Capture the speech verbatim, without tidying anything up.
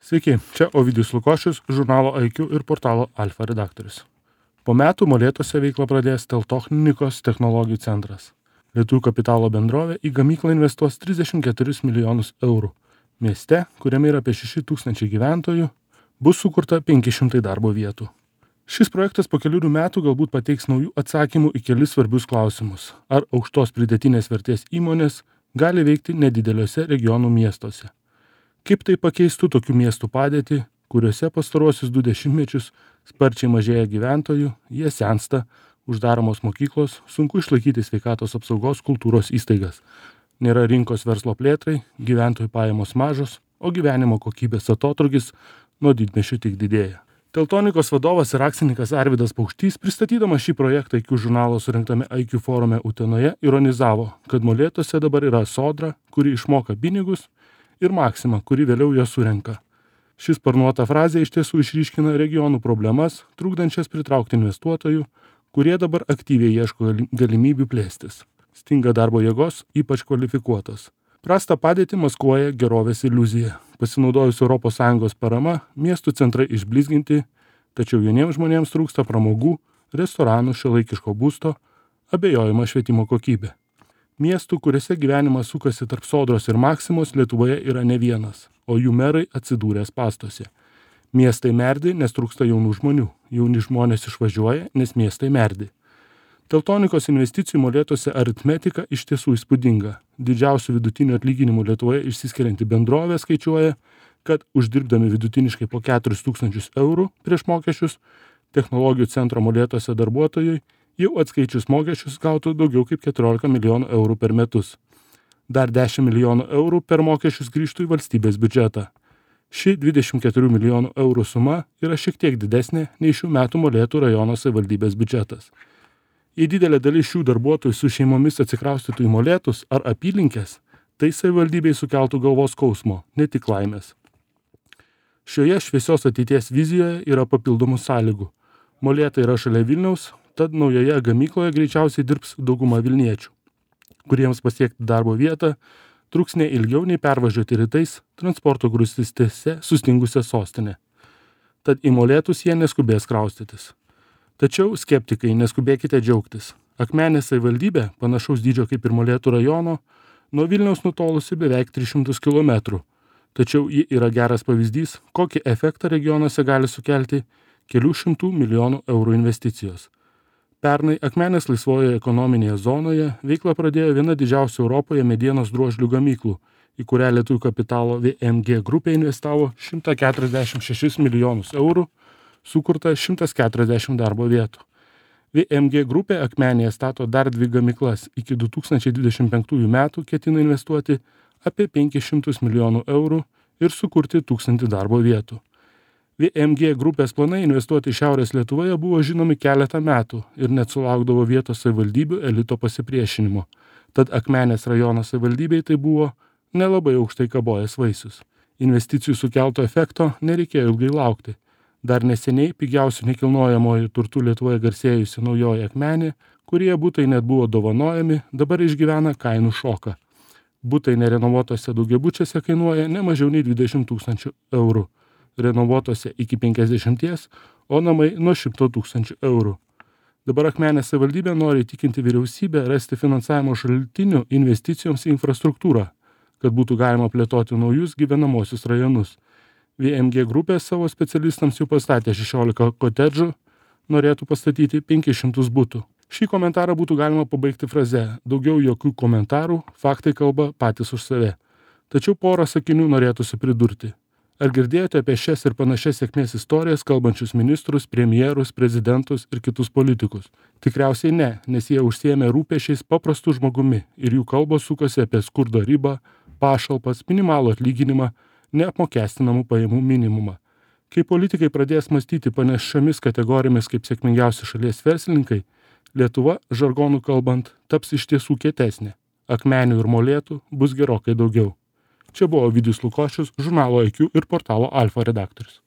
Sveiki, čia Ovidijus Lukošius, žurnalo I Q ir portalo Alfa redaktorius. Po metų Molėtuose veiklą pradės Teltonikos technologijų centras. Lietuvių kapitalo bendrovė į gamyklą investuos trisdešimt keturis milijonus eurų. Mieste, kuriame yra apie šeši tūkstančiai gyventojų, bus sukurta penki šimtai darbo vietų. Šis projektas po kelių metų galbūt pateiks naujų atsakymų į kelis svarbius klausimus. Ar aukštos pridėtinės vertės įmonės gali veikti nedideliuose regionų miestuose? Kaip tai pakeistų tokių miestų padėtį, kuriuose pastaruosius du dešimtmečius sparčiai mažėja gyventojų, jie sensta, uždaromos mokyklos, sunku išlaikyti sveikatos apsaugos kultūros įstaigas. Nėra rinkos verslo plėtrai, gyventojų pajamos mažos, o gyvenimo kokybės atotrūkis nuo didmiesčių tik didėja. Teltonikos vadovas ir akcininkas Arvydas Paukštys, pristatydamas šį projektą I Q žurnalo surinktame I Q forume Utenoje, ironizavo, kad Molėtuose dabar yra Sodra, kuri išmoka pinigus, ir Maxima, kuri vėliau ją surenka. Šis sparnuota frazė iš tiesų išryškina regionų problemas, trukdančias pritraukti investuotojų, kurie dabar aktyviai ieško galimybių plėstis. Stinga darbo jėgos, ypač kvalifikuotos. Prastą padėtį maskuoja gerovės iliuzija. Pasinaudojus Europos Sąjungos parama, miestų centrai išblizginti, tačiau jauniems žmonėms trūksta pramogų, restoranų, šiuolaikiško būsto, abejojama švietimo kokybė. Miestų, kuriuose gyvenimas sukasi tarp Sodros ir Maksimos, Lietuvoje yra ne vienas, o jų merai atsidūrė spąstuose. Miestai merdi, nes trūksta jaunų žmonių. Jauni žmonės išvažiuoja, nes miestai merdi. Teltonikos investicijų Molėtuose aritmetika iš tiesų įspūdinga. Didžiausių vidutinių atlyginimų Lietuvoje išsiskirianti bendrovė skaičiuoja, kad uždirbdami vidutiniškai po keturis tūkstančius eurų prieš mokesčius, technologijų centro Molėtuose darbuotojai jau atskaičius mokesčius gautų daugiau kaip keturiolika milijonų eurų per metus. Dar dešimt milijonų eurų per mokesčius grįžtų į valstybės biudžetą. Ši dvidešimt keturių milijonų eurų suma yra šiek tiek didesnė nei šių metų Molėtų rajono savivaldybės biudžetas. Jei didelė dalis šių darbuotojų su šeimomis atsikraustytų į Molėtus ar apylinkės, tai savivaldybei sukeltų galvos skausmo, ne tik laimės. Šioje šviesios ateities vizijoje yra papildomų sąlygų. Molėtai yra šalia Vilniaus, tad naujoje gamykloje greičiausiai dirbs dauguma vilniečių, kuriems pasiekti darbo vietą truks ne ilgiau nei pervažiuoti rytais transporto grūstystėse sustingusią sostinę. Tad į Molėtus jie neskubės kraustytis. Tačiau, skeptikai, neskubėkite džiaugtis. Akmenės savivaldybė, panašaus dydžio kaip ir Molėtų rajono, nuo Vilniaus nutolusi beveik tris šimtus kilometrų. Tačiau ji yra geras pavyzdys, kokį efektą regionuose gali sukelti kelių šimtų milijonų eurų investicijos. Pernai Akmenės laisvojoje ekonominėje zonoje veiklą pradėjo viena didžiausių Europoje medienos drožlių gamyklų, į kurią lietuvių kapitalo V M G grupė investavo šimtą keturiasdešimt šešis milijonus eurų, sukurta šimtas keturiasdešimt darbo vietų. V M G grupė Akmenėje stato dar dvi gamyklas. Iki du tūkstančiai dvidešimt penktųjų metų ketina investuoti apie penkis šimtus milijonų eurų ir sukurti tūkstantį darbo vietų. V M G grupės planai investuoti Šiaurės Lietuvoje buvo žinomi keletą metų ir net sulaukdavo vietos savivaldybių elito pasipriešinimo. Tad Akmenės rajono savivaldybei tai buvo nelabai aukštai kabojęs vaisius. Investicijų sukelto efekto nereikėjo ilgai laukti. Dar neseniai pigiausių nekilnojamojo turtų Lietuvoje garsėjusi naujoji Akmenė, kurie butai net buvo dovanojami, dabar išgyvena kainų šoką. Butai nerenovuotose daugiabučiuose kainuoja ne mažiau nei dvidešimt tūkstančių eurų, renovuotose iki penkiasdešimties, o namai nuo šimto tūkstančių eurų. Dabar Akmenės savivaldybė nori įtikinti vyriausybę rasti finansavimo šaltinių investicijoms į infrastruktūrą, kad būtų galima plėtoti naujus gyvenamosius rajonus. V M G grupė savo specialistams jau pastatė šešiolika kotedžų, norėtų pastatyti penkis šimtus butų. Šį komentarą būtų galima pabaigti fraze: daugiau jokių komentarų, faktai kalba patys už save. Tačiau porą sakinių norėtųsi pridurti. Ar girdėjote apie šias ir panašias sėkmės istorijas kalbančius ministrus, premjerus, prezidentus ir kitus politikus? Tikriausiai ne, nes jie užsiėmė rūpesčiais paprastų žmogumi ir jų kalbos sukasi apie skurdo ribą, pašalpas, minimalų atlyginimą, neapmokestinamų pajamų minimumą. Kai politikai pradės mąstyti panašiomis kategorijomis kaip sėkmingiausi šalies verslininkai, Lietuva, žargonų kalbant, taps iš tiesų kietesnė. Akmenių ir Molėtų bus gerokai daugiau. Čia buvo Ovidijus Lukošius, žurnalo I Q ir portalo Alfa redaktorius.